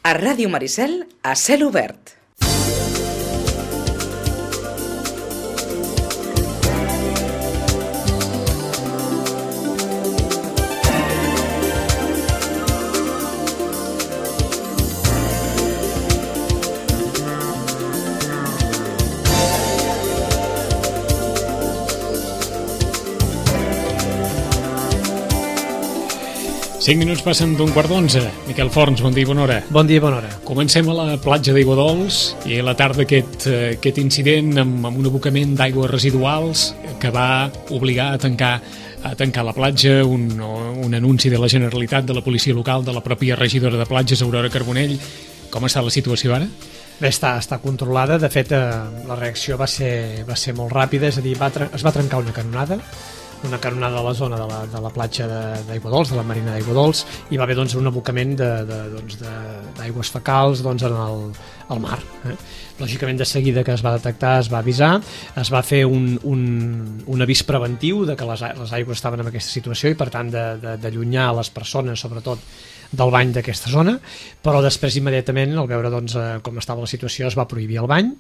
A Ràdio Maricel, a cel obert. Cinc minuts passen d'un quart d'11. Miquel Forns, bon dia i bona hora. Bon dia i bona hora. Comencem a la platja d'Aiguadols i a la tarda aquest incident amb un abocament d'aigües residuals que va obligar a tancar la platja, un anunci de la Generalitat, de la policia local, de la pròpia regidora de platges, Aurora Carbonell. Com està la situació ara? Bé, està controlada. De fet, la reacció va ser molt ràpida, és a dir, es va trencar una canonada a la zona de la platja d'Aiguadols, de la marina d'Aiguadols, i va haver un abocament d'aigües fecals al mar. Lògicament, de seguida que es va detectar, es va avisar, es va fer un avís preventiu de que les aigües estaven en aquesta situació i, per tant, d'allunyar les persones, sobretot, del bany d'aquesta zona, però després immediatament, al veure com estava la situació, es va prohibir el bany.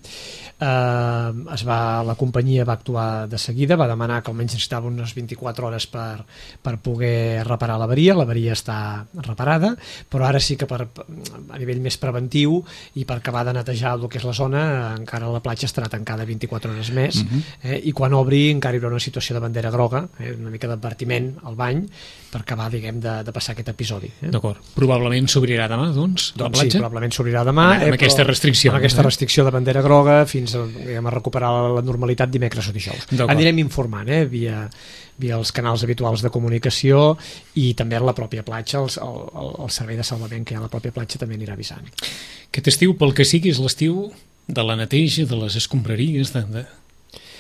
La companyia va actuar de seguida, va demanar que almenys necessitava unes 24 hores per poder reparar l'avaria està reparada, però ara sí que a nivell més preventiu i per acabar de netejar el que és la zona, encara la platja estarà tancada 24 hores més, i quan obri encara hi haurà una situació de bandera groga, una mica d'advertiment al bany, per acabar, diguem, de passar aquest episodi. D'acord. Probablement s'obrirà demà, doncs, la platja? Sí, probablement s'obrirà demà. Amb aquesta restricció. Amb aquesta restricció de bandera groga fins a recuperar la normalitat dimecres o dijous. Anirem informant, via els canals habituals de comunicació i també a la pròpia platja, el servei de salvament que hi ha a la pròpia platja també anirà avisant. Aquest estiu, pel que sigui, és l'estiu de la neteja, de les escombraries,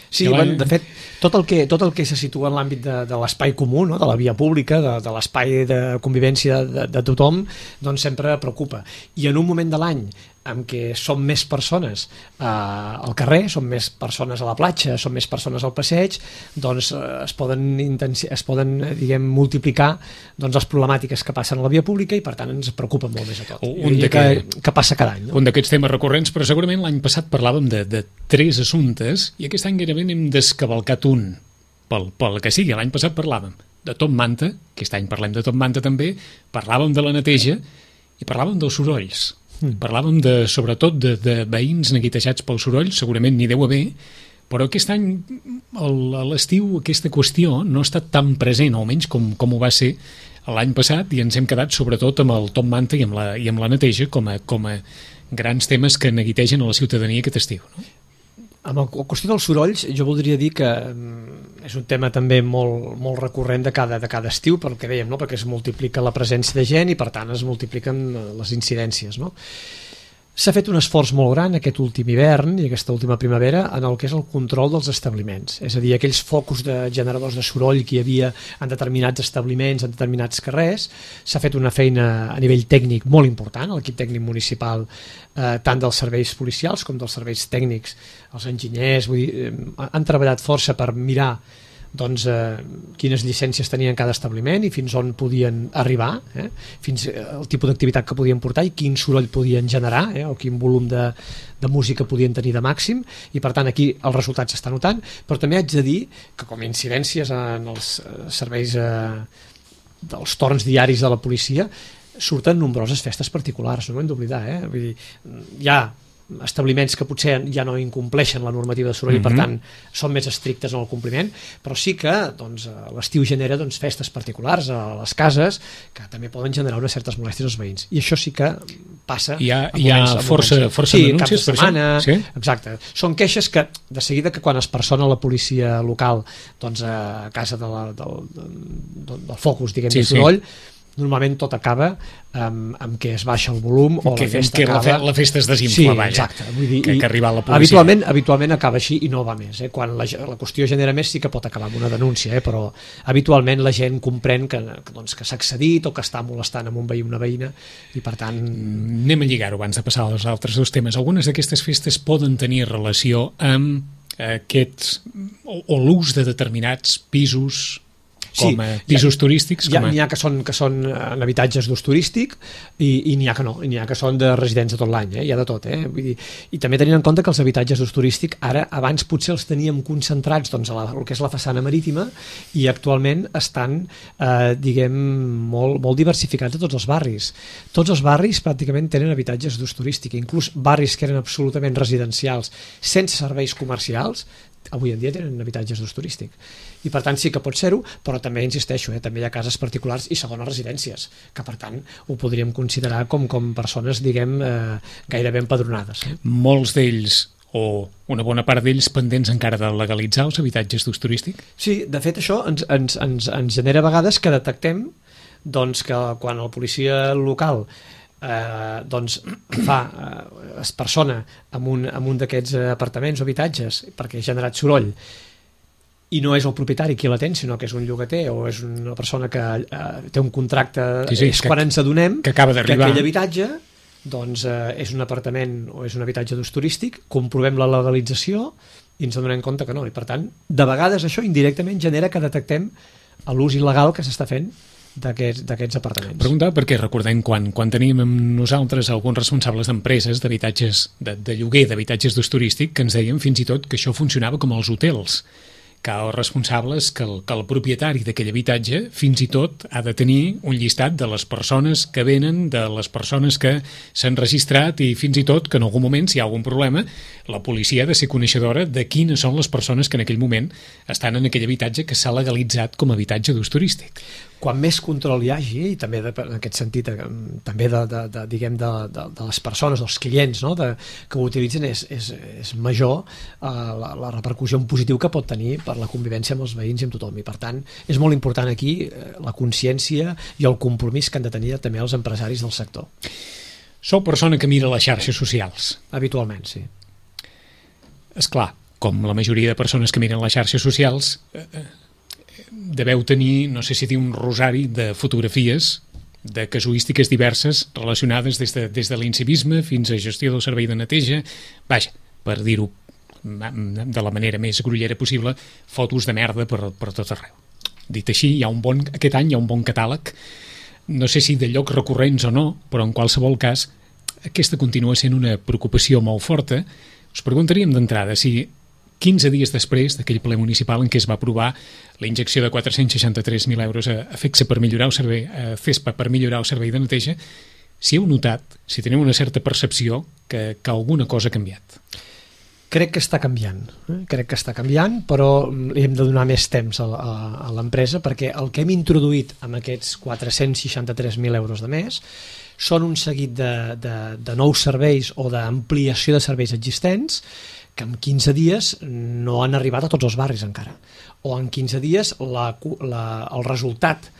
Sí, de fet, tot el que se situa en l'àmbit de l'espai comú, no? De la via pública, de l'espai de convivència de tothom, doncs sempre preocupa. I en un moment de l'any en què són més persones al carrer, són més persones a la platja, són més persones al passeig, doncs es poden diguem, multiplicar les problemàtiques que passen a la via pública i per tant ens preocupa molt més a tot. Que passa cada any. No? Un d'aquests temes recurrents, però segurament l'any passat parlàvem de 3 assumptes i aquest any gairebé n'hem descavalcat un. Pel que sigui, l'any passat parlàvem de Top Manta, aquest any parlem de Top Manta també, parlàvem de la neteja i parlàvem dels sorolls. Parlàvem sobretot de veïns neguitejats pel soroll, segurament n'hi deu haver, però aquest any a l'estiu aquesta qüestió no ha estat tan present, almenys com ho va ser l'any passat, i ens hem quedat sobretot amb el Top Manta i amb la neteja com a grans temes que neguitegen a la ciutadania aquest estiu, no? Amb la qüestió dels sorolls, jo voldria dir que és un tema també molt recurrent de cada estiu, pel que dèiem, no? Perquè es multiplica la presència de gent i per tant es multipliquen les incidències, no? S'ha fet un esforç molt gran aquest últim hivern i aquesta última primavera en el que és el control dels establiments, és a dir, aquells focus de generadors de soroll que hi havia en determinats establiments, en determinats carrers. S'ha fet una feina a nivell tècnic molt important, l'equip tècnic municipal, tant dels serveis policials com dels serveis tècnics, els enginyers, vull dir, han treballat força per mirar quines llicències tenien cada establiment i fins on podien arribar, fins al tipus d'activitat que podien portar i quin soroll podien generar, o quin volum de música podien tenir de màxim, i per tant aquí els resultats s'estan notant, però també haig de dir que com a incidències en els serveis dels torns diaris de la policia surten nombroses festes particulars, no ho hem d'oblidar, vull dir, hi ha establiments que potser ja no incompleixen la normativa de soroll i per tant són més estrictes en el compliment, però sí que l'estiu genera festes particulars a les cases que també poden generar unes certes molèsties als veïns, i això sí que passa. Hi ha força denúncies per això? Sí? Exacte. Són queixes que de seguida que quan es persona la policia local a casa del focus, diguem, de soroll, normalment tot acaba amb que es baixa el volum o la festa acaba... La festa es desinfla, sí, exacte. Vull dir, que arriba la policia. Habitualment acaba així i no va més. Quan la qüestió genera més sí que pot acabar amb una denúncia, però habitualment la gent comprèn que s'ha excedit o que està molestant amb un veí o una veïna i per tant... Anem a lligar-ho abans de passar als altres dos temes. Algunes d'aquestes festes poden tenir relació amb aquests o l'ús de determinats pisos com a pisos turístics. N'hi ha que són en habitatges d'ús turístic i n'hi ha que no, i n'hi ha que són de residents de tot l'any, hi ha de tot. Vull dir, i també tenint en compte que els habitatges d'ús turístic ara, abans potser els teníem concentrats doncs, a el que és la façana marítima i actualment estan, diguem, molt diversificats a tots els barris. Tots els barris pràcticament tenen habitatges d'ús turístic, inclús barris que eren absolutament residencials sense serveis comercials, avui en dia tenen habitatges d'ús turístic. I per tant sí que pot ser-ho, però també insisteixo, també hi ha cases particulars i segones residències, que per tant ho podríem considerar com persones, diguem, gairebé empadronades. Molts d'ells, o una bona part d'ells, pendents encara de legalitzar els habitatges d'ús turístic? Sí, de fet això ens genera a vegades que detectem doncs, que quan el policia local doncs es persona en un d'aquests apartaments o habitatges perquè ha generat soroll i no és el propietari qui l'atén, sinó que és un llogater o és una persona que té un contracte, és quan ens adonem que aquell habitatge doncs, és un apartament o és un habitatge d'ús turístic, comprovem la legalització i ens adonem compte que no, i per tant de vegades això indirectament genera que detectem l'ús il·legal que s'està fent d'aquests apartaments. Preguntava perquè recordem quan teníem amb nosaltres alguns responsables d'empreses d'habitatges de lloguer d'habitatges d'ús turístic que ens deien fins i tot que això funcionava com els hotels, que els responsables, que el propietari d'aquell habitatge fins i tot ha de tenir un llistat de les persones que venen, de les persones que s'han registrat i fins i tot que en algun moment, si hi ha algun problema, la policia ha de ser coneixedora de quines són les persones que en aquell moment estan en aquell habitatge que s'ha legalitzat com a habitatge d'ús turístic. Quan més control hi hagi, i també en aquest sentit també diguem de les persones, dels clients, no? Que ho utilitzen, és major la repercussió en positiu que pot tenir per la convivència amb els veïns i amb tothom. I per tant, és molt important aquí la consciència i el compromís que han de tenir també els empresaris del sector. Sou persona que mira les xarxes socials? Habitualment, sí. És clar, com la majoria de persones que miren les xarxes socials, deveu tenir, no sé si dir un rosari de fotografies de casuístiques diverses relacionades des de l'incivisme fins a gestió del servei de neteja, vaja, per dir-ho de la manera més grollera possible, fotos de merda per tot arreu. Dit així, aquest any hi ha un bon catàleg, no sé si de llocs recurrents o no, però en qualsevol cas aquesta continua sent una preocupació molt forta. Us preguntaríem d'entrada si 15 dies després d'aquell ple municipal en què es va aprovar la injecció de 463.000 euros a FECSA per millorar el servei, a CESPA per millorar el servei de neteja, si heu notat, si teniu una certa percepció que alguna cosa ha canviat. Crec que està canviant, però li hem de donar més temps a l'empresa perquè el que hem introduït amb aquests 463.000 euros de mes són un seguit de nous serveis o d'ampliació de serveis existents que en 15 dies no han arribat a tots els barris encara, o en 15 dies el resultat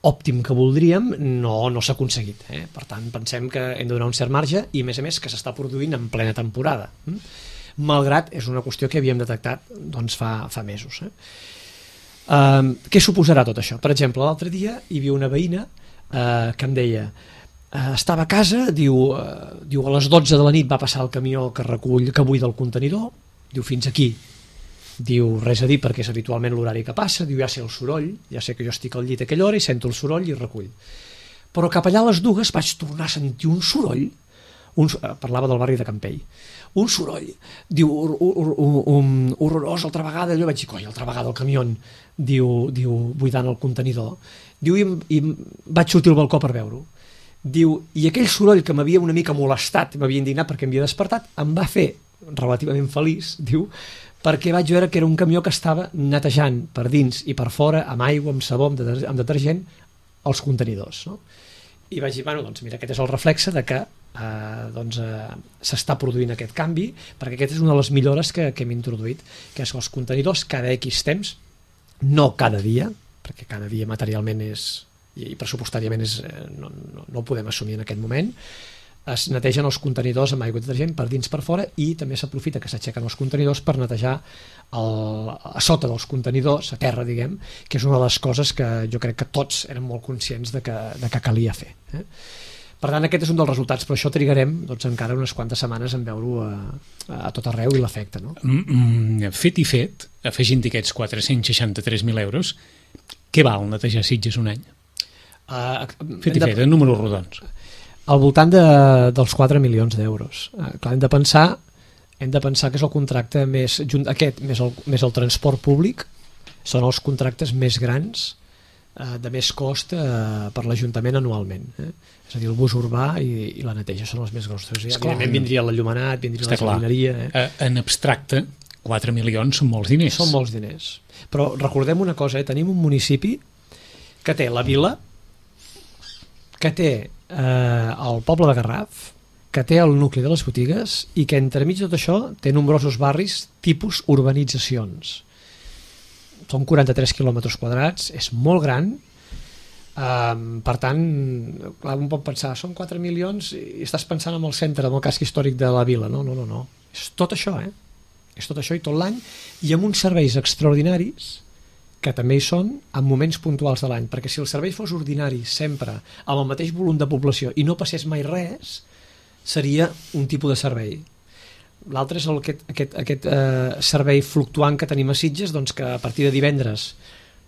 òptim que voldríem no s'ha aconseguit. Per tant, pensem que hem de donar un cert marge i, a més que s'està produint en plena temporada, malgrat és una qüestió que havíem detectat doncs, fa mesos. Què suposarà tot això? Per exemple, l'altre dia hi havia una veïna que em deia estava a casa, diu a les 12 de la nit va passar el camió que buida el contenidor, diu fins aquí, diu res a dir perquè és habitualment l'horari que passa, diu ja sé el soroll, ja sé que jo estic al llit a aquella hora i sento el soroll i recull, però cap allà a les 2 vaig tornar a sentir un soroll, parlava del barri de Campell, un soroll, diu horrorós, altra vegada, allò vaig dir, coi, altra vegada el camió, diu buidant el contenidor, diu i vaig sortir al balcó per veure-ho. Diu, i aquell soroll que m'havia una mica molestat, m'havia indignat perquè m'havia despertat, em va fer relativament feliç, diu, perquè vaig veure que era un camió que estava netejant per dins i per fora, amb aigua, amb sabó, amb detergent, els contenidors. No? I vaig dir, bueno, doncs mira, aquest és el reflexe de que s'està produint aquest canvi, perquè aquesta és una de les millores que hem introduït, que és que els contenidors cada X temps, no cada dia, perquè cada dia materialment i pressupostàriament no ho podem assumir en aquest moment, es netegen els contenidors amb aigua i detergent per dins per fora i també s'aprofita que s'aixequen els contenidors per netejar a sota dels contenidors, a terra, diguem, que és una de les coses que jo crec que tots érem molt conscients de que calia fer. Per tant, aquest és un dels resultats, però això trigarem encara unes quantes setmanes en veure-ho a tot arreu i l'efecte. No? Fet i fet, afegint aquests 463.000 euros, què val netejar Sitges un any? Fet i fet, en números rodons. Al voltant dels 4 milions d'euros. Clar, hem de pensar que és el contracte més el transport públic, són els contractes més grans de més cost per l'Ajuntament anualment. És a dir, el bus urbà i la neteja són els més grossos. Evidentment vindria l'enllumenat, vindria la jardineria. En abstracte, 4 milions són molts diners. Són molts diners. Però recordem una cosa, tenim un municipi que té la vila, que té el poble de Garraf, que té el nucli de les botigues i que entremig de tot això té nombrosos barris tipus urbanitzacions. Són 43 quilòmetres quadrats, és molt gran, per tant, clar, un pot pensar, són 4 milions i estàs pensant en el centre, en el casc històric de la vila. No. És tot això, És tot això i tot l'any, i amb uns serveis extraordinaris que també hi són en moments puntuals de l'any, perquè si el servei fos ordinari sempre, amb el mateix volum de població i no passés mai res, seria un tipus de servei. L'altre és aquest servei fluctuant que tenim a Sitges, doncs que a partir de divendres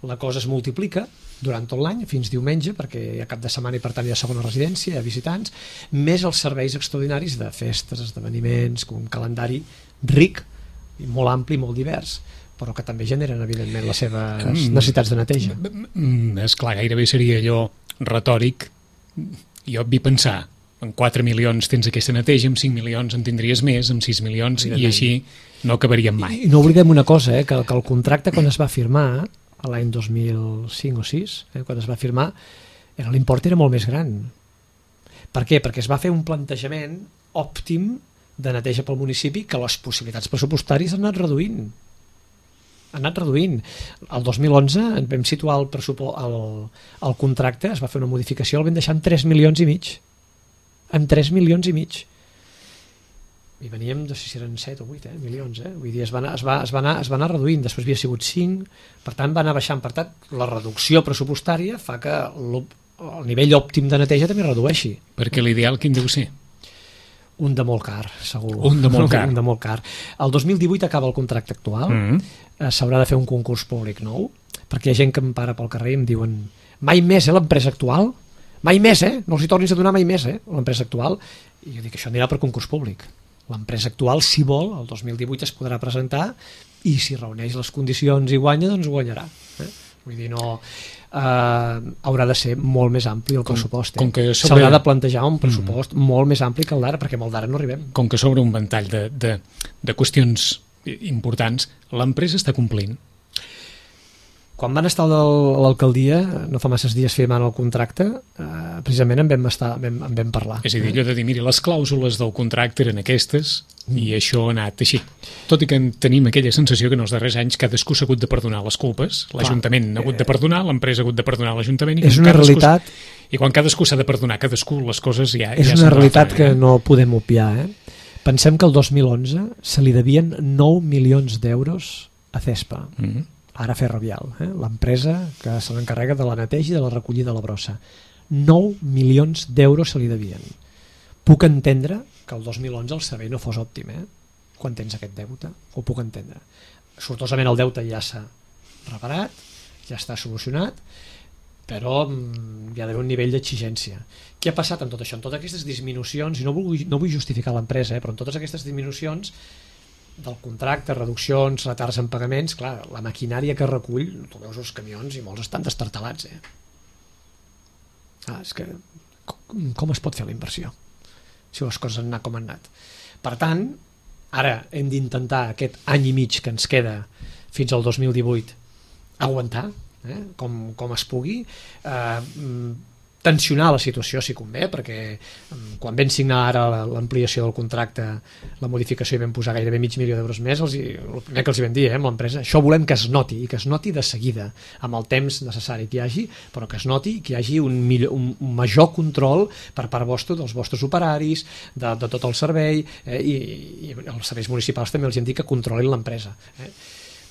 la cosa es multiplica durant tot l'any, fins diumenge, perquè hi ha cap de setmana i per tant hi ha segona residència, hi ha visitants, més els serveis extraordinaris de festes, esdeveniments, un calendari ric, i molt ampli, molt divers, però que també generen evidentment les seves necessitats de neteja. És clar, gairebé seria allò retòric i obvi pensar, en 4 milions tens aquesta neteja, amb 5 milions en tindries més, amb 6 milions, i així no acabaríem mai. I no oblidem una cosa, que el contracte quan es va firmar, a l'any 2005 o 6, quan es va firmar, l'import era molt més gran. Per què? Perquè es va fer un plantejament òptim de neteja pel municipi que les possibilitats pressupostàries han anat reduint. El 2011 vam situar el contracte, es va fer una modificació, el vam deixar en 3 milions i mig. En 3 milions i mig. I veníem, no sé si eren 7 o 8 milions. Vull dir, es va anar reduint, després havia sigut 5, per tant va anar baixant. Per tant, la reducció pressupostària fa que el nivell òptim de neteja també redueixi. Perquè l'ideal quin deu ser? Un de molt car, segur. Un de molt car. Un de molt car. El 2018 acaba el contracte actual, s'haurà de fer un concurs públic nou, perquè hi ha gent que em para pel carrer i em diuen mai més, l'empresa actual? Mai més, no els hi tornis a donar mai més, l'empresa actual. I jo dic, això anirà per concurs públic. L'empresa actual, si vol, el 2018 es podrà presentar i si reuneix les condicions i guanya, doncs guanyarà. Vull dir, no... haurà de ser molt més ampli el pressupost. S'haurà de plantejar un pressupost molt més ampli que el d'ara, perquè amb el d'ara no arribem. Com que sobre un ventall de qüestions importants, l'empresa està complint. Quan van estar a l'alcaldia, no fa masses dies firmant el contracte, precisament en vam parlar. És a dir, allò de dir, mira, les clàusules del contracte eren aquestes i això ha anat així. Tot i que tenim aquella sensació que en els darrers anys cadascú s'ha hagut de perdonar les culpes, l'Ajuntament ha hagut de perdonar, l'empresa ha hagut de perdonar l'Ajuntament, és una realitat. I quan cadascú s'ha de perdonar cadascú, les coses ja... És una realitat que no podem obviar. Pensem que el 2011 se li devien 9 milions d'euros a CESPA. Ara Ferrovial, l'empresa que se l'encarrega de la neteja i de la recollida de la brossa. 9 milions d'euros se li devien. Puc entendre que el 2011 el servei no fos òptim, quan tens aquest deute, ho puc entendre. Sortosament el deute ja s'ha reparat, ja està solucionat, però hi ha d'haver un nivell d'exigència. Què ha passat amb tot això? En totes aquestes disminucions, i no vull justificar l'empresa, però en totes aquestes disminucions del contracte, reduccions, retards en pagaments, clar, la maquinària que recull, tu veus els camions i molts estan destartalats. És que com es pot fer la inversió si les coses han anat com han anat? Per tant, ara hem d'intentar aquest any i mig que ens queda fins al 2018 aguantar, com es pugui, tensionar la situació si convé, perquè quan vam signar ara l'ampliació del contracte, la modificació, i vam posar gairebé mig milió d'euros més, el primer que els vam dir amb l'empresa, això volem que es noti, i que es noti de seguida, amb el temps necessari que hi hagi, però que es noti que hi hagi un major control per part vostra, dels vostres operaris, de tot el servei, i els serveis municipals també els hem dit que controlin l'empresa.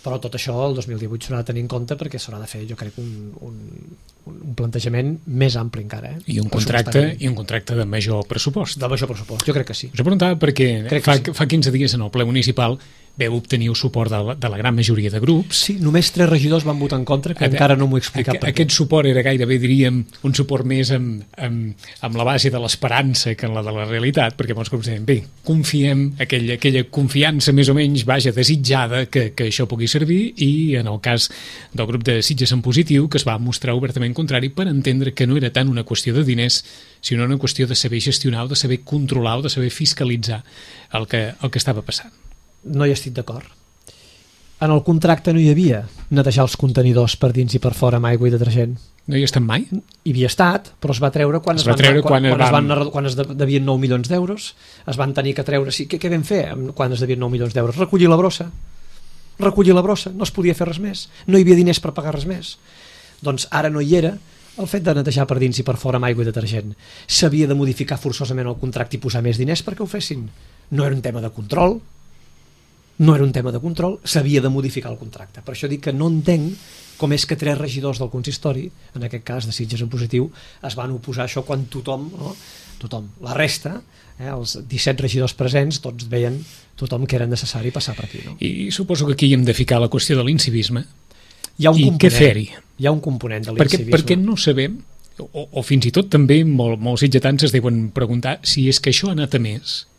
Però tot això el 2018 s'haurà de tenir en compte perquè s'haurà de fer, jo crec, un plantejament més ampli encara. I un contracte de major pressupost. De major pressupost, jo crec que sí. Us he preguntat perquè fa 15 dies en el ple municipal veu obtenir el suport de la gran majoria de grups. Sí, només 3 regidors van votar en contra, que encara no m'ho he explicat. Aquest suport era gairebé, diríem, un suport més amb la base de l'esperança que en la de la realitat, perquè molts grups deien, bé, confiem, aquella confiança més o menys, vaja, desitjada que això pugui servir, i en el cas del grup de Sitges en Positiu, que es va mostrar obertament contrari per entendre que no era tant una qüestió de diners, sinó una qüestió de saber gestionar, de saber controlar, de saber fiscalitzar el que estava passant. No hi estic d'acord. En el contracte no hi havia netejar els contenidors per dins i per fora amb aigua i detergent. No hi ha estat mai? Hi havia estat, però es va treure quan es devien 9 milions d'euros. Es van tenir que treure... Sí, què vam fer quan es devien 9 milions d'euros? Recollir la brossa. No es podia fer res més. No hi havia diners per pagar res més. Doncs ara no hi era el fet de netejar per dins i per fora amb aigua i detergent. S'havia de modificar forçosament el contracte i posar més diners perquè ho fessin. No era un tema de control, s'havia de modificar el contracte. Per això dic que no entenc com és que 3 regidors del consistori, en aquest cas de Sitges en Positiu, es van oposar a això quan tothom, la resta, els 17 regidors presents, tots veien tothom que era necessari passar per aquí. No? I suposo que aquí hem de ficar la qüestió de l'incivisme. Hi ha un component, què fer-hi? Hi ha un component de l'incivisme. Perquè no sabem, o fins i tot també molts sitgetans es deuen preguntar si és que això ha anat a més,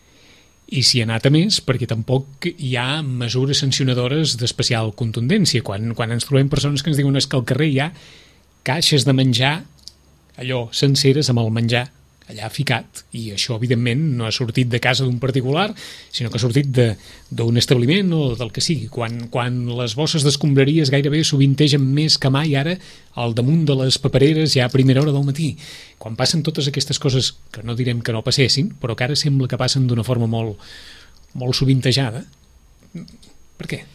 i si ha anat a més, perquè tampoc hi ha mesures sancionadores d'especial contundència. Quan ens trobem persones que ens diuen que al carrer hi ha caixes de menjar, allò, senceres amb el menjar allà ficat, i això evidentment no ha sortit de casa d'un particular, sinó que ha sortit d'un establiment o del que sigui. Quan les bosses d'escombraries gairebé sovintegen més que mai ara al damunt de les papereres ja a primera hora del matí, quan passen totes aquestes coses que no direm que no passessin, però que ara sembla que passen d'una forma molt, molt sovintejada, per què?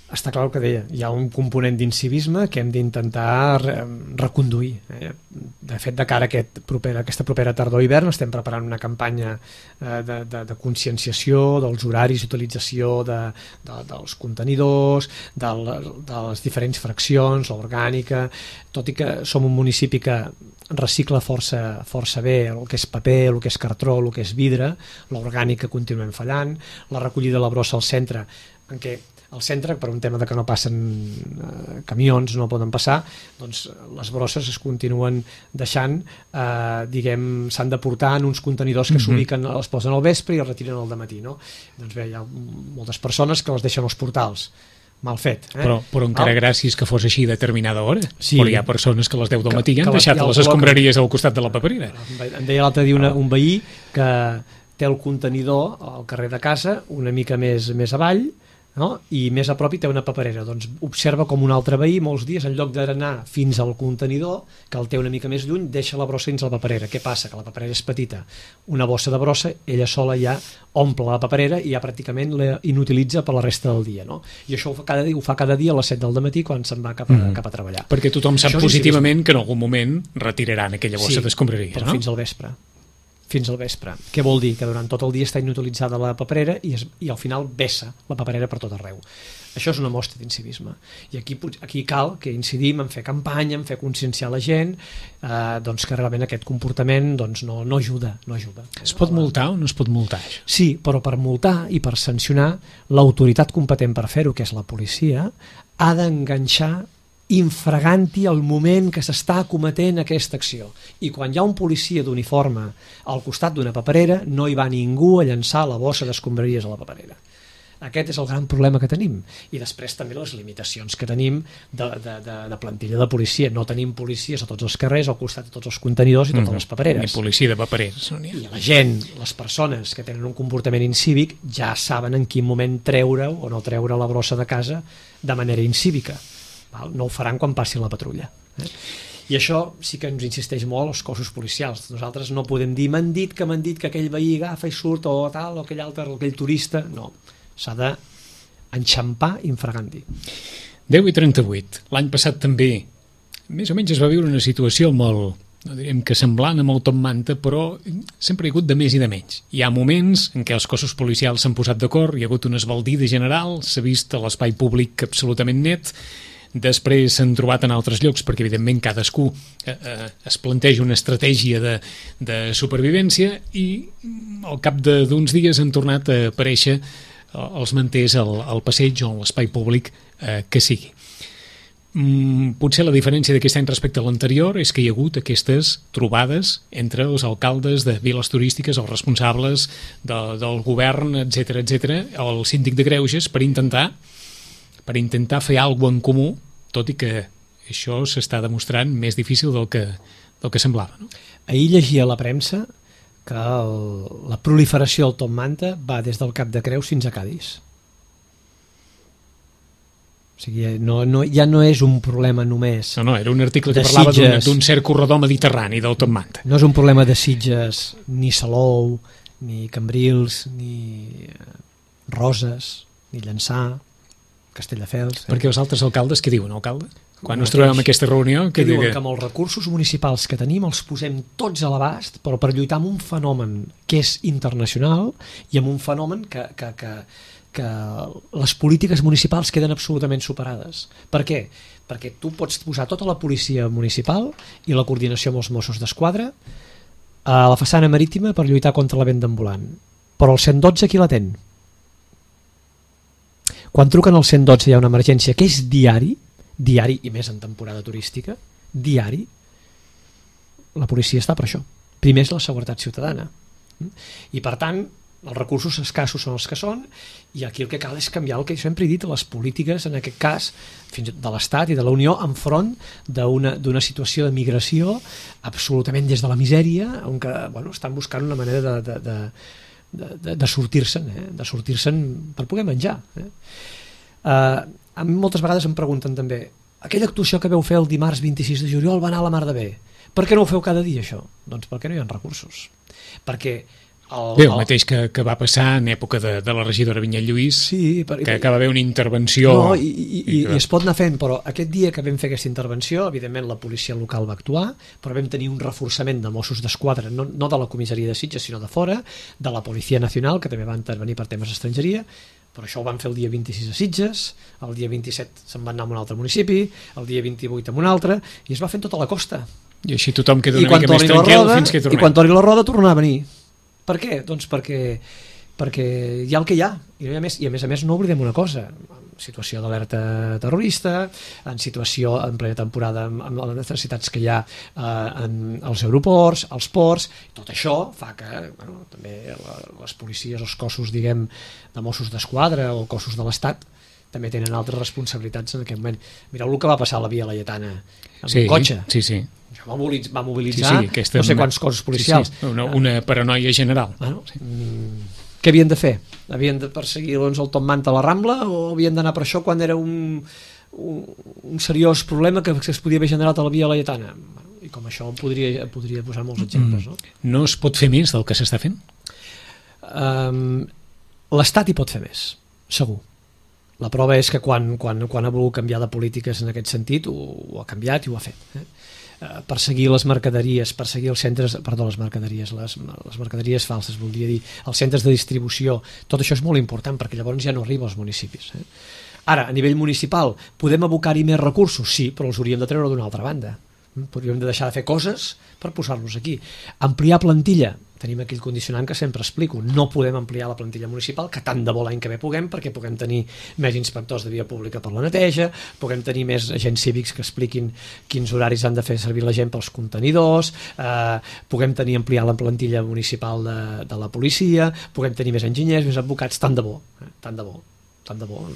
Està clar el que deia, hi ha un component d'incivisme que hem d'intentar reconduir. De fet, de cara a aquesta propera tardor-hivern estem preparant una campanya de conscienciació dels horaris d'utilització dels contenidors, de les diferents fraccions, l'orgànica, tot i que som un municipi que recicla força bé el que és paper, el que és cartró, el que és vidre, l'orgànica continuem fallant, la recollida de la brossa al centre, en què al centre, per un tema de que no passen camions, no poden passar, doncs les brosses es continuen deixant, s'han de portar en uns contenidors que s'ubiquen, els posen al vespre i els retiren al dematí, no? Doncs bé, hi ha moltes persones que les deixen als portals. Mal fet. Però encara gràcies que fos així a determinada hora. Sí. Però hi ha persones que les 10 del matí han deixat les escombraries al costat de la paperera. Em deia l'altre dia un veí que té el contenidor al carrer de casa una mica més avall, no? I més a prop hi té una paperera. Doncs observa com un altre veí molts dies, en lloc d'anar fins al contenidor, que el té una mica més lluny, deixa la brossa dins la paperera. Què passa? Que la paperera és petita. Una bossa de brossa, ella sola ja omple la paperera i ja pràcticament la inutilitza per la resta del dia. No? I això ho fa cada dia a les 7 del matí quan se'n va cap a treballar. Perquè tothom sap positivament que en algun moment retiraran aquella bossa d'escombraria. Però fins al vespre. Què vol dir? Que durant tot el dia està inutilitzada la paperera i al final vessa la paperera per tot arreu. Això és una mostra d'incivisme. I aquí cal que incidim en fer campanya, en fer conscienciar la gent, doncs que realment aquest comportament doncs no ajuda. Es pot multar o no es pot multar? Sí, però per multar i per sancionar, l'autoritat competent per fer-ho, que és la policia, ha d'enganxar infraganti el moment que s'està cometent aquesta acció. I quan hi ha un policia d'uniforme al costat d'una paperera, no hi va ningú a llançar la bossa d'escombraries a la paperera. Aquest és el gran problema que tenim. I després també les limitacions que tenim de plantilla de policia. No tenim policies a tots els carrers, al costat de tots els contenidors i totes les papereres. Ni policia de papereres. I la gent, les persones que tenen un comportament incívic, ja saben en quin moment treure o no treure la brossa de casa de manera incívica. No ho faran quan passi la patrulla. I això sí que ens insisteix molt als cossos policials. Nosaltres no podem dir m'han dit que aquell veí agafa i surt o tal, o aquell altre, aquell turista. No, s'ha d'enxampar infraganti. 10:38. L'any passat també més o menys es va viure una situació molt, no direm que semblant amb el Top Manta, però sempre hi ha hagut de més i de menys. Hi ha moments en què els cossos policials s'han posat d'acord, hi ha hagut una esbaldida general, s'ha vist l'espai públic absolutament net, després s'han trobat en altres llocs, perquè evidentment cadascú es planteja una estratègia de supervivència, i al cap d'uns dies han tornat a aparèixer els manters al passeig o a l'espai públic que sigui. Potser la diferència d'aquest any respecte a l'anterior és que hi ha hagut aquestes trobades entre els alcaldes de viles turístiques, els responsables del govern, etc etc, el síndic de Greuges, per intentar fer alguna cosa en comú, tot i que això s'està demostrant més difícil del que semblava, no? Ahir llegia a la premsa que la proliferació del top manta va des del Cap de Creus fins a Cadis. O sigui, ja no és un problema només... No, era un article que parlava d'un cert corredor mediterrani del top manta. No és un problema de Sitges, ni Salou, ni Cambrils, ni Roses, ni Llançà, Castelldefels... Perquè els altres alcaldes, què diuen, alcalde? Quan ens trobem en aquesta reunió... Que diuen que amb els recursos municipals que tenim els posem tots a l'abast, però per lluitar amb un fenomen que és internacional i amb un fenomen que les polítiques municipals queden absolutament superades. Per què? Perquè tu pots posar tota la policia municipal i la coordinació amb els Mossos d'Esquadra a la façana marítima per lluitar contra la venda ambulant. Però el 112 qui l'atén? Quan truquen al 112 hi ha una emergència que és diari i més en temporada turística, diari, la policia està per això. Primer és la seguretat ciutadana. I per tant, els recursos escassos són els que són, i aquí el que cal és canviar el que sempre he dit, les polítiques, en aquest cas, fins de l'Estat i de la Unió, enfront d'una situació de migració absolutament des de la misèria, on que, estan buscant una manera de sortir-se'n per poder menjar. A mi moltes vegades em pregunten també, aquella actuació que veu fer el dimarts 26 de juliol va anar a la mar de bé, per què no ho feu cada dia això? Doncs perquè no hi ha recursos, perquè el mateix que va passar en època de la regidora Vinyet Lluís, sí, que va haver una intervenció... I es pot anar fent, però aquest dia que vam fer aquesta intervenció, evidentment la policia local va actuar, però vam tenir un reforçament de Mossos d'Esquadra, no de la comissaria de Sitges, sinó de fora, de la Policia Nacional, que també va intervenir per temes d'estrangeria, però això ho van fer el dia 26 a Sitges, el dia 27 se'n van anar a un altre municipi, el dia 28 a un altre, i es va fent tota la costa. I així tothom queda una mica més tranquil fins que tornem. I quan torni la roda tornarà a venir. Per què? Doncs perquè hi ha el que hi ha, i a més no oblidem una cosa, en situació d'alerta terrorista, en situació en plena temporada amb les necessitats que hi ha als aeroports, als ports, tot això fa que també les policies, els cossos de Mossos d'Esquadra o cossos de l'Estat també tenen altres responsabilitats en aquest moment. Mireu el que va passar a la Via Laietana amb un cotxe. Sí. Això va mobilitzar no sé quants cossos policials. Una paranoia general. Què havien de fer? Havien de perseguir el top manta a la Rambla o havien d'anar per això quan era un seriós problema que es podia haver generat a la Via Laietana? I com això podria posar molts exemples. No es pot fer més del que s'està fent? L'Estat hi pot fer més, segur. La prova és que quan ha volgut canviar de polítiques en aquest sentit ho ha canviat i ho ha fet. Perseguir les mercaderies, perseguir els centres, les mercaderies falses, voldria dir, els centres de distribució, tot això és molt important perquè llavors ja no arriba als municipis. Ara, a nivell municipal, podem abocar-hi més recursos? Sí, però els hauríem de treure d'una altra banda. Podríem de deixar de fer coses per posar-los aquí. Ampliar plantilla, tenim aquell condicionant que sempre explico, no podem ampliar la plantilla municipal, que tant de bo l'any que ve puguem, perquè puguem tenir més inspectors de via pública per la neteja, puguem tenir més agents cívics que expliquin quins horaris han de fer servir la gent pels contenidors, puguem ampliar la plantilla municipal de la policia, puguem tenir més enginyers, més advocats, tant de bo,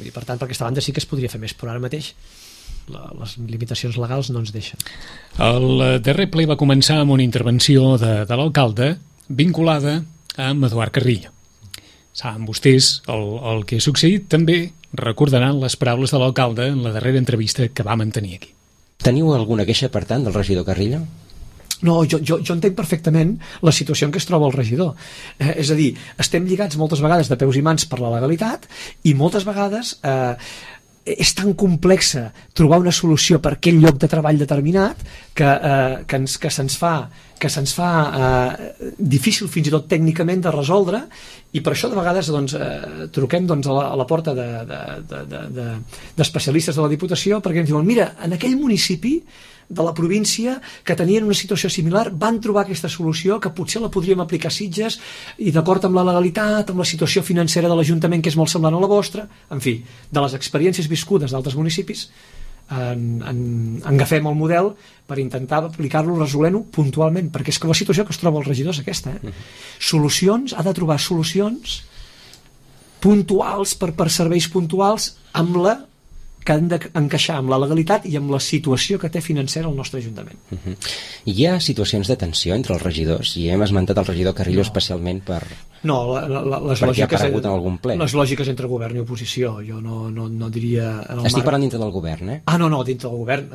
i per tant per aquesta banda sí que es podria fer més, però ara mateix les limitacions legals no ens deixen. El darrer ple va començar amb una intervenció de l'alcalde vinculada amb Eduard Carrillo. Saben vostès el que ha succeït, també recordaran les paraules de l'alcalde en la darrera entrevista que va mantenir aquí. Teniu alguna queixa, per tant, del regidor Carrillo? No, jo entenc perfectament la situació en què es troba el regidor. És a dir, estem lligats moltes vegades de peus i mans per la legalitat i moltes vegades és tan complexa trobar una solució per aquell lloc de treball determinat que se'ns fa difícil fins i tot tècnicament de resoldre, i per això de vegades truquem a la porta d'especialistes de la Diputació perquè ens diuen, mira, en aquell municipi de la província que tenien una situació similar van trobar aquesta solució que potser la podríem aplicar a Sitges i d'acord amb la legalitat, amb la situació financera de l'Ajuntament que és molt semblant a la vostra, en fi, de les experiències viscudes d'altres municipis en agafem el model per intentar aplicar-lo, resolent-ho puntualment, perquè és que la situació que es troba el regidor és aquesta, solucions, ha de trobar solucions puntuals per serveis puntuals amb la que han d'encaixar amb la legalitat i amb la situació que té financera el nostre Ajuntament. Hi ha situacions de tensió entre els regidors, i hem esmentat el regidor Carrillo especialment per... No, perquè ha aparegut en algun ple. Les lògiques entre govern i oposició, jo no diria... Estic parlant dintre del govern, eh? No, dintre del govern.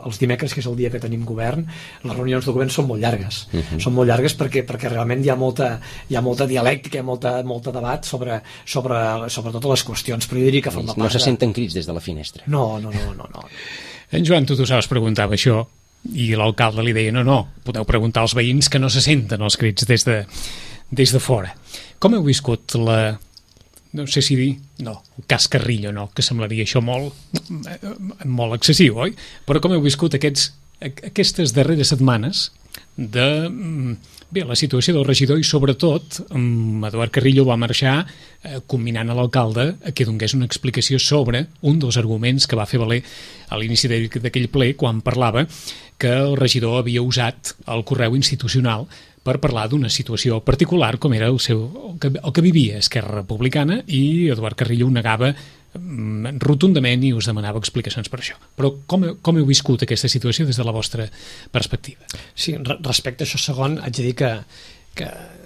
Els dimecres, que és el dia que tenim govern, les reunions del govern són molt llargues. Són molt llargues perquè realment hi ha molta dialèctica, molta debat sobre totes les qüestions, però jo diria que forma part... No se senten crits des de la finestra. No. En Joan Tutusaus preguntava això i l'alcalde li deia no, podeu preguntar als veïns que no se senten els crits des de fora. Com heu viscut no sé si dir, el cas Carrillo, que semblaria això molt excessiu, oi? Però com heu viscut aquestes darreres setmanes de la situació del regidor i sobretot Eduard Carrillo va marxar combinant a l'alcalde que donés una explicació sobre un dels arguments que va fer valer a l'inici d'aquell ple quan parlava que el regidor havia usat el correu institucional per parlar d'una situació particular com era el que vivia Esquerra Republicana, i Eduard Carrillo ho negava rotundament i us demanava explicacions per això. Però com heu viscut aquesta situació des de la vostra perspectiva? Sí, respecte a això segon, haig de dir que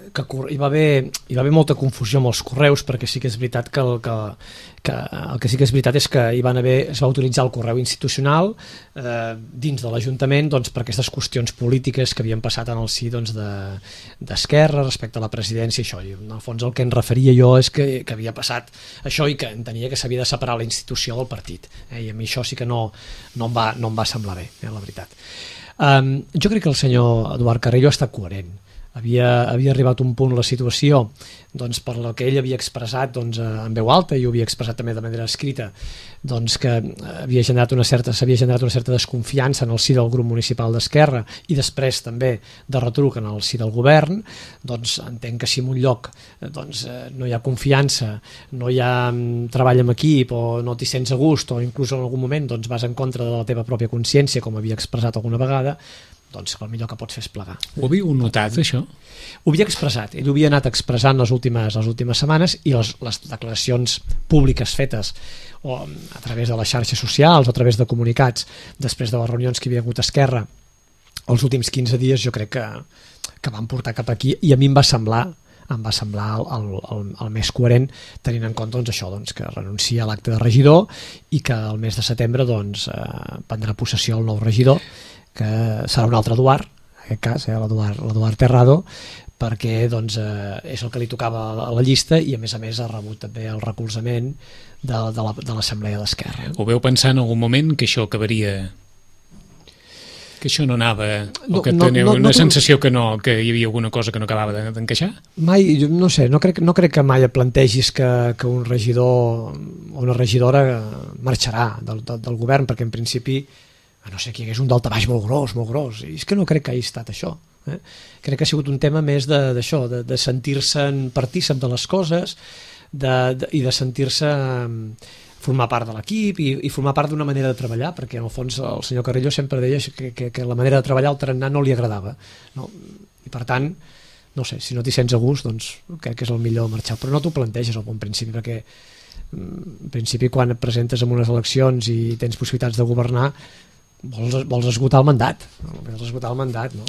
hi va haver molta confusió amb els correus, perquè sí que és veritat que el que sí que és veritat és que es va utilitzar el correu institucional dins de l'Ajuntament per aquestes qüestions polítiques que havien passat en el si d'Esquerra respecte a la presidència i això. I en el fons el que em referia jo és que havia passat això i que entenia que s'havia de separar la institució del partit, i a mi això sí que no em va semblar bé, la veritat. Jo crec que el senyor Eduard Carrillo ha estat coherent. Havia arribat un punt la situació per la que ell havia expressat en veu alta, i ho havia expressat també de manera escrita, que s'havia generat una certa desconfiança en el si del grup municipal d'Esquerra i després també de retruc en el si del govern. Entenc que si en un lloc no hi ha confiança, no hi ha treball en equip, o no t'hi sents a gust, o inclús en algun moment vas en contra de la teva pròpia consciència, com havia expressat alguna vegada, el millor que pots fer és plegar. Ho havíeu notat, això? Ho havia expressat, ell ho havia anat expressant les últimes setmanes, i les declaracions públiques fetes o a través de les xarxes socials o a través de comunicats després de les reunions que hi havia hagut a Esquerra els últims 15 dies, jo crec que van portar cap aquí, i a mi em va semblar el més coherent, tenint en compte això, que renuncia a l'acte de regidor i que el mes de setembre prendrà possessió el nou regidor, que serà un altre Eduard, en aquest cas, l'Eduard Terrado, perquè és el que li tocava a la llista, i a més ha rebut també el recolzament de l'Assemblea d'Esquerra. Ho veu pensar en algun moment que això acabaria, que això no anava, o que teniu una sensació que hi havia alguna cosa que no acabava d'encaixar? Mai, no sé, no crec que mai et plantegis que un regidor o una regidora marxarà del govern, perquè en principi, a no ser que hi hagués un daltabaix molt gros, i és que no crec que hagi estat això. Crec que ha sigut un tema més d'això, de sentir-se'n partícip de les coses i de sentir-se formar part de l'equip i formar part d'una manera de treballar, perquè en el fons el senyor Carrillo sempre deia que la manera de treballar al tarannà no li agradava, i per tant, no sé, si no t'hi sents a gust, crec que és el millor marxar, però no t'ho planteges al bon principi, perquè en principi quan et presentes en unes eleccions i tens possibilitats de governar vols esgotar el mandat, no?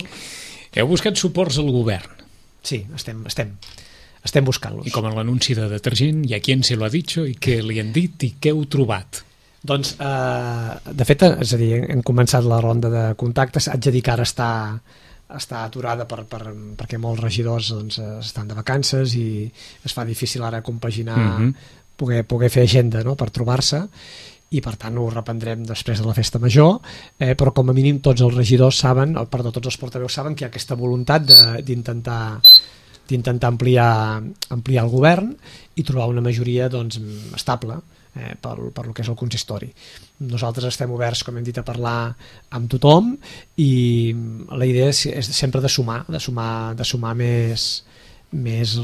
Heu buscat suports al govern? Sí, estem buscant-los. I com en l'anunci de detergent, hi ha qui se lo ha dicho i què li han dit i què heu trobat? De fet, és a dir, hem començat la ronda de contactes. Haig de dir que ara està aturada perquè molts regidors estan de vacances i es fa difícil ara compaginar poder fer agenda, no?, per trobar-se, i per tant ho reprendrem després de la festa major, però com a mínim tots els regidors saben, tots els portaveus saben que hi ha aquesta voluntat d'intentar ampliar el govern i trobar una majoria, doncs, estable per lo que és el consistori. Nosaltres estem oberts, com hem dit, a parlar amb tothom, i la idea és sempre de sumar més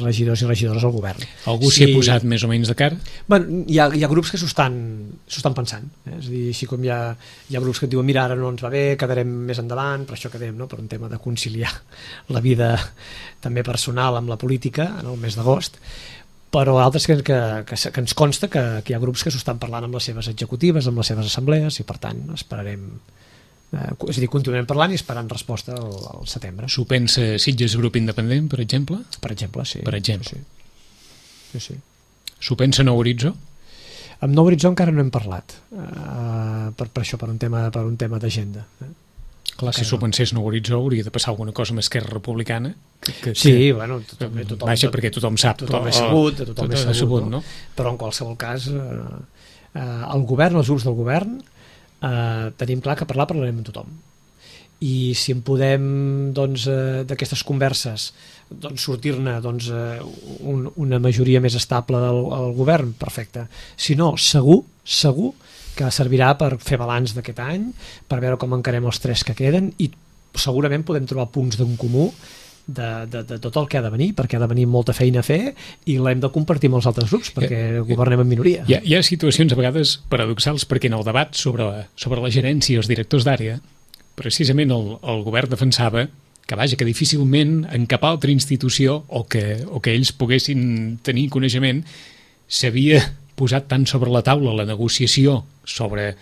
regidors i regidores al govern. Algú s'hi ha posat més o menys de cara? Bueno, hi ha grups que s'ho estan pensant, és a dir, així com hi ha grups que et diuen mira, ara no ens va bé, quedarem més endavant, per això quedem, no?, per un tema de conciliar la vida també personal amb la política en el mes d'agost, però altres que ens consta que hi ha grups que s'ho estan parlant amb les seves executives, amb les seves assemblees, i per tant esperarem, és a dir, continuem parlant i esperant resposta al setembre. S'ho pensa Sitges Grup Independent, per exemple? Per exemple, sí. Per exemple. Sí. S'ho pensa Nou Horitzó? Amb Nou Horitzó encara no hem parlat, per això, per un tema d'agenda. Clar, si s'ho pensés Nou Horitzó hauria de passar alguna cosa amb Esquerra Republicana. Sí, bueno, tothom... Vaja, perquè tothom sap. Tothom és sabut, no? Però en qualsevol cas, el govern, els grups del govern, tenim clar que parlarem amb tothom, i si en podem, doncs, d'aquestes converses, doncs, sortir-ne, doncs, una majoria més estable al govern, perfecte. Si no, segur que servirà per fer balanç d'aquest any, per veure com encarem els 3 que queden, i segurament podem trobar punts d'en comú de tot el que ha de venir, perquè ha de venir molta feina a fer, i l'hem de compartir amb els altres grups, perquè governem en minoria. Hi ha situacions a vegades paradoxals, perquè en el debat sobre la gerència i els directors d'àrea, precisament el govern defensava que difícilment en cap altra institució o que ells poguessin tenir coneixement s'havia posat tant sobre la taula la negociació sobre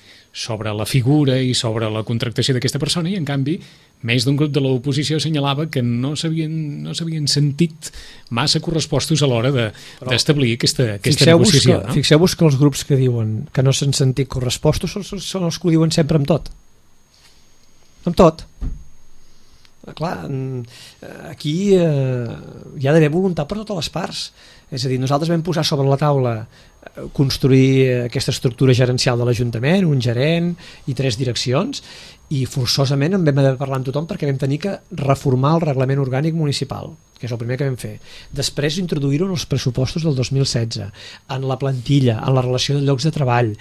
la figura i sobre la contractació d'aquesta persona, i en canvi més d'un grup de l'oposició assenyalava que no s'havien sentit massa correspostos a l'hora d'establir aquesta negociació. Fixeu-vos que els grups que diuen que no s'han sentit correspostos són els que ho diuen sempre amb tot. Amb tot. Clar, aquí hi ha d'haver voluntat per totes les parts. És a dir, nosaltres vam posar sobre la taula construir aquesta estructura gerencial de l'Ajuntament, un gerent i 3 direccions, i forçosament en vam haver de parlar amb tothom perquè vam tenir que reformar el reglament orgànic municipal, que és el primer que vam fer. Després introduir-ho en els pressupostos del 2016, en la plantilla, en la relació de llocs de treball,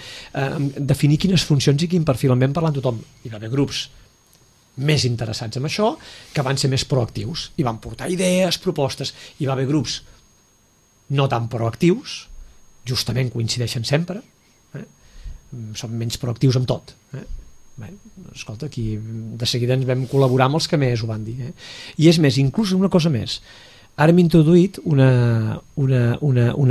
definir quines funcions i quin perfil. En vam parlar amb tothom. Hi va haver grups més interessats en això, que van ser més proactius i van portar idees, propostes. Hi va haver grups no tan proactius, justament coincideixen sempre, són menys proactius amb tot. Bé, escolta, aquí de seguida ens vam col·laborar amb els que més ho van dir. I és més, inclús una cosa més, ara hem introduït una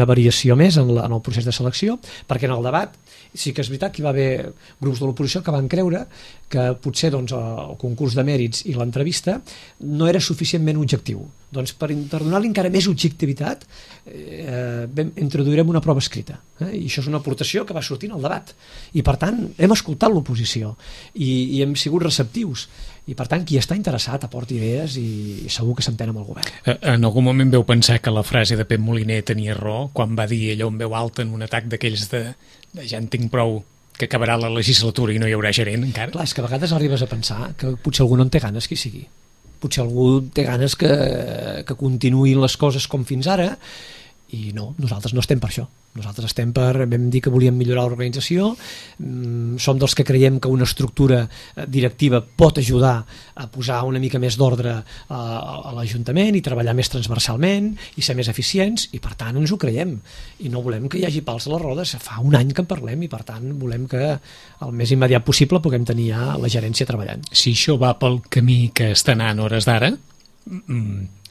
variació més en el procés de selecció, perquè en el debat sí que és veritat que hi va haver grups de l'oposició que van creure que potser, doncs, el concurs de mèrits i l'entrevista no era suficientment objectiu. Doncs per donar-li encara més objectivitat introduirem una prova escrita, i això és una aportació que va sortir en el debat, i per tant hem escoltat l'oposició i hem sigut receptius, i per tant qui està interessat aporta idees i segur que s'entén amb el govern. En algun moment veu pensar que la frase de Pep Moliner tenia raó quan va dir allò en veu alta en un atac d'aquells de ja en tinc prou, que acabarà la legislatura i no hi haurà gerent encara? Clar, és que a vegades arribes a pensar que potser algú no en té ganes qui sigui, potser algú té ganes que continuïn les coses com fins ara, i no, nosaltres no estem per això. Nosaltres estem vam dir que volíem millorar l'organització, som dels que creiem que una estructura directiva pot ajudar a posar una mica més d'ordre a l'Ajuntament i treballar més transversalment i ser més eficients, i per tant ens ho creiem i no volem que hi hagi pals a les rodes. Fa un any que en parlem i per tant volem que el més immediat possible puguem tenir ja la gerència treballant. Si això va pel camí que està anant a hores d'ara,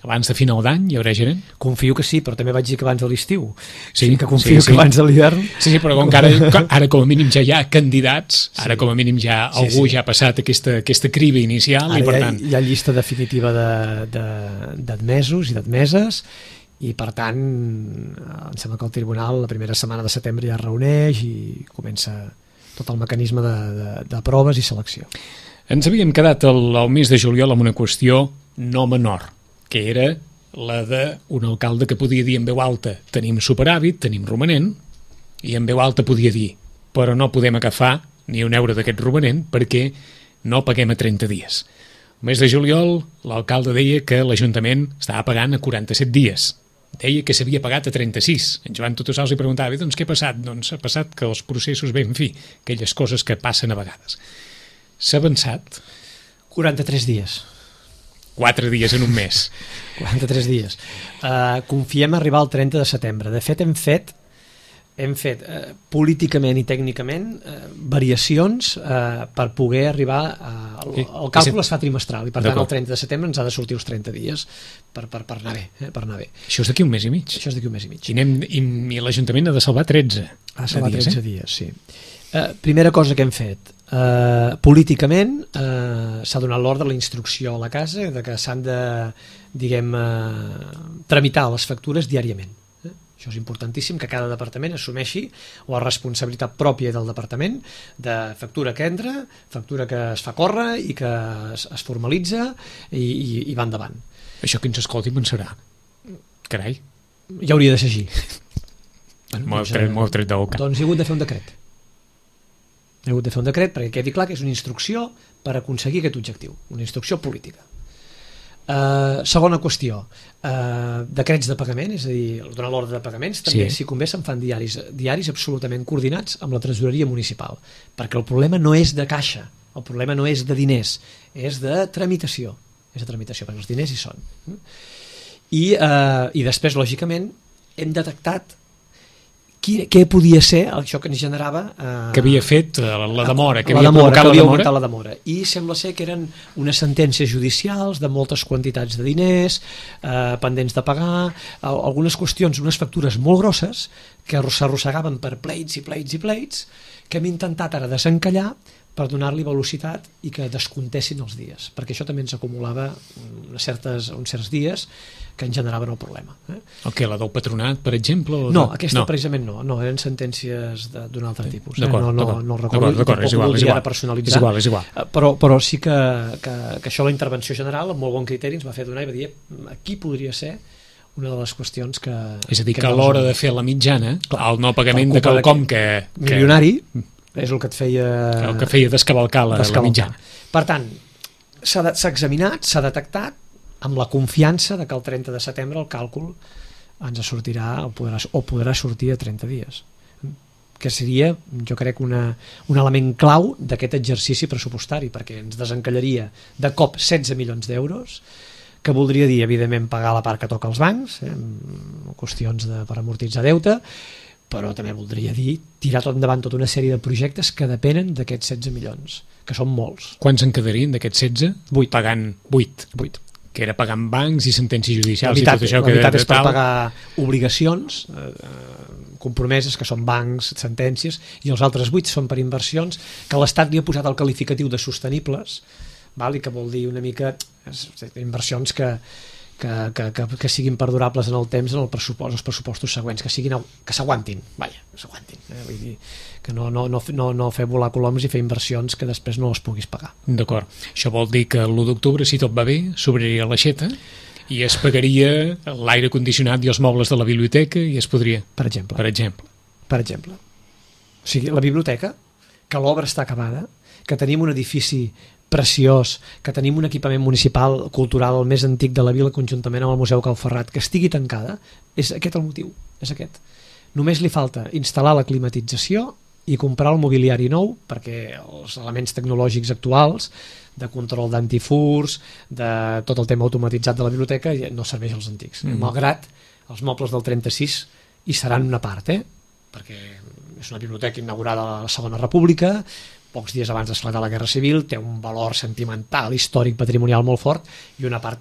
abans de final d'any hi haurà gerent? Confio que sí, però també vaig dir que abans de l'estiu. Sí, que confio que abans de l'hivern. Sí, però com que ara com a mínim ja hi ha candidats, ara com a mínim ja algú ja ha passat aquesta criba inicial, ara i per tant... Hi ha llista definitiva d'admesos i d'admeses, i per tant em sembla que el tribunal la primera setmana de setembre ja es reuneix i comença tot el mecanisme de proves i selecció. Ens havíem quedat el mes de juliol amb una qüestió no menor, que era la d'un alcalde que podia dir en veu alta tenim superàvit, tenim romanent, i en veu alta podia dir: però no podem agafar ni un euro d'aquest romanent perquè no paguem a 30 dies. El mes de juliol, l'alcalde deia que l'Ajuntament estava pagant a 47 dies. Deia que s'havia pagat a 36. En Joan Tutussals li preguntava: doncs què ha passat? Doncs ha passat que els processos, bé, en fi, aquelles coses que passen a vegades. S'ha avançat 43 dies. 4 dies en un mes. 43 dies. Confiem arribar al 30 de setembre. De fet, hem fet políticament i tècnicament variacions per poder arribar el càlcul es fa trimestral i per tant el 30 de setembre ens ha de sortir els 30 dies per anar bé, Això és d'aquí un mes i mig. Això és d'aquí un mes i mig. I l'Ajuntament ha de salvar 13. Ha salvat 13 dies, sí. Primera cosa que hem fet, políticament s'ha donat l'ordre, la instrucció a la casa de que s'han de, tramitar les factures diàriament. Això és importantíssim, que cada departament assumeixi la responsabilitat pròpia del departament de factura que entra, factura que es fa córrer i que es formalitza i va endavant. Això que ens escolti pensarà: carai, ja hauria de ser així. M'ho heu tret de boca. Doncs he hagut de fer un decret. He hagut de fer un decret perquè quedi clar que és una instrucció per aconseguir aquest objectiu, una instrucció política. Segona qüestió, decrets de pagament, és a dir, donar l'ordre de pagaments, també, si convé, se'n fan diaris absolutament coordinats amb la tresoreria municipal, perquè el problema no és de caixa, el problema no és de diners, és de tramitació, perquè els diners hi són. I després, lògicament, hem detectat què podia ser això que ens generava que havia fet la demora, que havia augmentat la demora, i sembla ser que eren unes sentències judicials de moltes quantitats de diners pendents de pagar, algunes qüestions, unes factures molt grosses que s'arrossegaven per pleits i pleits i pleits, que hem intentat ara desencallar per donar-li velocitat i que descontessin els dies, perquè això també ens acumulava uns certs dies que ens generaven el problema. El què, la del patronat, per exemple? No, aquesta precisament no, eren sentències d'un altre tipus. No el recordo, tampoc ho voldria ara personalitzar. És igual. Però sí que això, la intervenció general, amb molt bon criteri, ens va fer donar i va dir: aquí podria ser una de les qüestions que... És a dir, que a l'hora de fer la mitjana, el no pagament de quelcom que... milionari, és el que et feia... El que feia descavalcar la mitjana. Per tant, s'ha examinat, s'ha detectat, amb la confiança de que el 30 de setembre el càlcul ens sortirà o podrà sortir a 30 dies, que seria, jo crec, un element clau d'aquest exercici pressupostari, perquè ens desencallaria de cop 16 milions d'euros, que voldria dir, evidentment, pagar la part que toca als bancs, qüestions per amortitzar deute, però també voldria dir tirar tot endavant tota una sèrie de projectes que depenen d'aquests 16 milions, que són molts. Quants en quedarien d'aquests 16? 8. Pagant 8. Que era pagant bancs i sentències judicials i tot això. La veritat és per tal. pagar obligacions compromeses, que són bancs, sentències, i els altres 8 són per inversions que l'Estat li ha posat el qualificatiu de sostenibles, i que vol dir una mica inversions que siguin perdurables en el temps, en els pressupostos següents, que s'aguantin, vull dir, que no fer volar coloms i fer inversions que després no les puguis pagar. D'acord. Això vol dir que l'1 d'octubre, si tot va bé, s'obriria l'aixeta i es pagaria l'aire condicionat i els mobles de la biblioteca i es podria... Per exemple. O sigui, la biblioteca, que l'obra està acabada, que tenim un edifici preciós, que tenim un equipament municipal cultural el més antic de la vila conjuntament amb el Museu Cal Ferrat, que estigui tancada, és aquest el motiu, és aquest. Només li falta instal·lar la climatització i comprar el mobiliari nou, perquè els elements tecnològics actuals de control d'antifurs, de tot el tema automatitzat de la biblioteca no serveix als antics, malgrat els mobles del 36 hi seran una part, perquè és una biblioteca inaugurada a la Segona República, pocs dies abans d'esclatar la Guerra Civil, té un valor sentimental, històric, patrimonial molt fort, i una part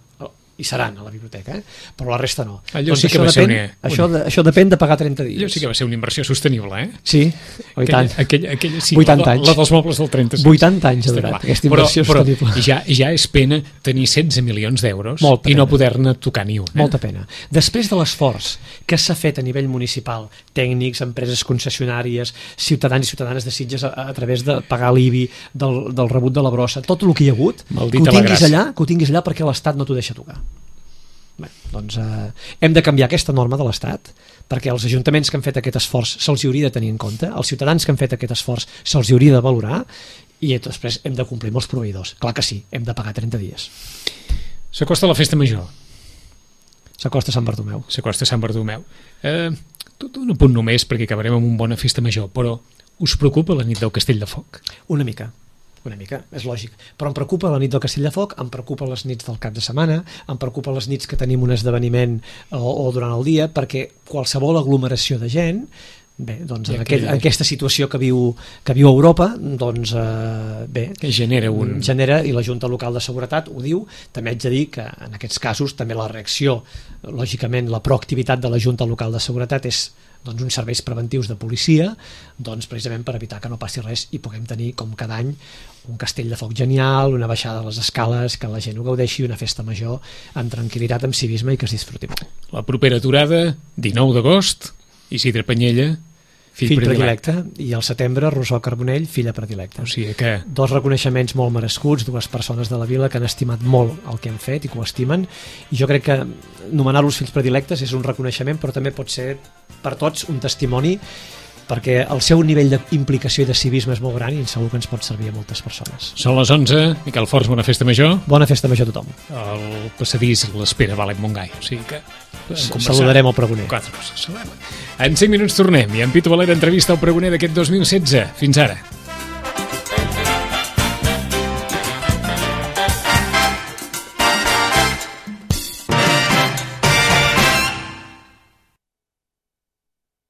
hi seran a la biblioteca, però la resta no. Allò sí que va ser això depèn de pagar 30 dies. Allò sí que va ser una inversió sostenible, Sí, i tant. Aquella sí, 80 anys. La dels mobles del 36. 80 anys ha durat aquesta inversió sostenible. Ja és pena tenir 16 milions d'euros i no poder-ne tocar ni un. Molta pena. Després de l'esforç que s'ha fet a nivell municipal, tècnics, empreses concessionàries, ciutadans i ciutadanes de Sitges a través de pagar l'IBI, del rebut de la brossa, tot el que hi ha hagut, que ho tinguis allà perquè l'Estat no t'ho deixa tocar. Bé, Doncs hem de canviar aquesta norma de l'Estat, perquè els ajuntaments que han fet aquest esforç se'ls hauria de tenir en compte, els ciutadans que han fet aquest esforç se'ls hauria de valorar, i després hem de complir amb els proveïdors. Clar que sí, hem de pagar 30 dies. S'acosta la festa major. S'acosta Sant Bartomeu. S'acosta Sant Bartomeu. Tot un apunt només, perquè acabarem amb una bona festa major, però us preocupa la nit del Castell de Foc? Una mica, és lògic. Però em preocupa la nit del Castell de Foc, em preocupa les nits del cap de setmana, em preocupa les nits que tenim un esdeveniment o durant el dia, perquè qualsevol aglomeració de gent, bé, doncs en aquesta situació que viu Europa, doncs bé, que genera, i la Junta Local de Seguretat ho diu. També haig de dir que en aquests casos també la reacció, lògicament la proactivitat de la Junta Local de Seguretat és doncs, uns serveis preventius de policia, doncs, precisament per evitar que no passi res i puguem tenir, com cada any, un castell de foc genial, una baixada a les escales, que la gent ho gaudeixi, una festa major amb tranquil·litat, amb civisme i que es disfruti molt. La propera aturada, 19 d'agost, Isidre Panyella, fill predilecte, i al setembre Rosó Carbonell, filla predilecta. O sigui que... Dos reconeixements molt merescuts, dues persones de la vila que han estimat molt el que han fet i que ho estimen, i jo crec que nomenar-los fills predilectes és un reconeixement, però també pot ser per tots un testimoni, perquè el seu nivell d'implicació i de civisme és molt gran i segur que ens pot servir a moltes persones. Són les 11, Miquel Forns, bona festa major. Bona festa major a tothom. El passadís l'espera Valent Montgai, o sigui que... Saludarem el pregoner. 4 coses. En 5 minuts tornem i en Pitu Valera entrevista al pregoner d'aquest 2016. Fins ara.